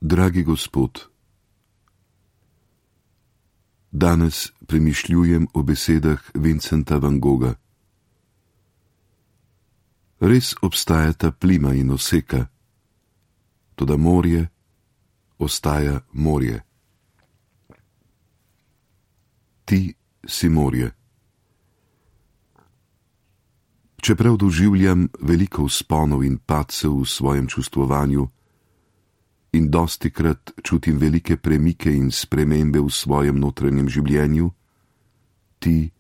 Dragi Gospod, danes premišljujem o besedah Vincenta van Gogha. Res obstajata plima in oseka, toda morje ostaja morje. Ti si morje. Čeprav doživljam veliko vzponov in padcev v svojem čustvovanju in dostikrat čutim velike premike in spremembe v svojem notranjem življenju, ti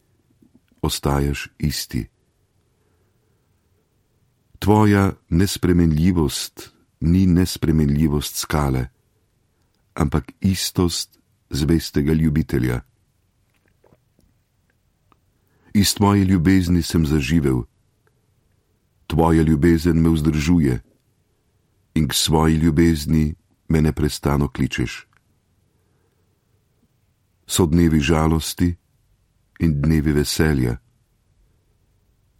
ostajaš isti. Tvoja nespremenljivost ni nespremenljivost skale, ampak istost zvestega ljubitelja. Iz tvoje ljubezni sem zaživel, tvoja ljubezen me vzdržuje in k svoji ljubezni me neprestano kličeš. So dnevi žalosti in dnevi veselja,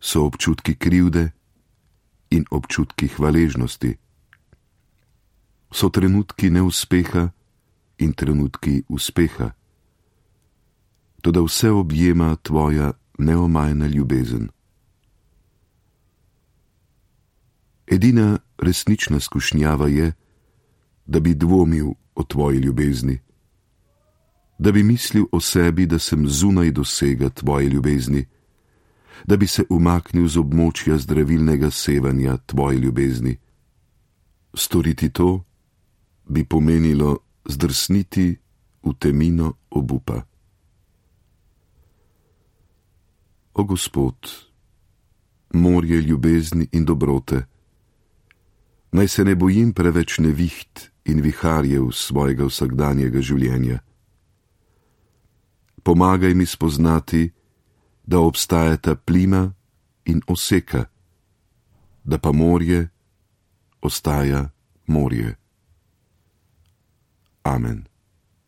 so občutki krivde in občutki hvaležnosti, so trenutki neuspeha in trenutki uspeha, toda vse objema tvoja neomajna ljubezen. Edina resnična skušnjava je, da bi dvomil o tvoji ljubezni, da bi mislil o sebi, da sem zunaj dosega tvoje ljubezni, da bi se umaknil z območja zdravilnega sevanja tvoje ljubezni. Storiti to bi pomenilo zdrsniti v temino obupa. O Gospod, morje ljubezni in dobrote, naj se ne bojim preveč neviht in viharjev svojega vsakdanjega življenja. Pomagaj mi spoznati, da obstajata plima in oseka, da pa morje ostaja morje. Amen.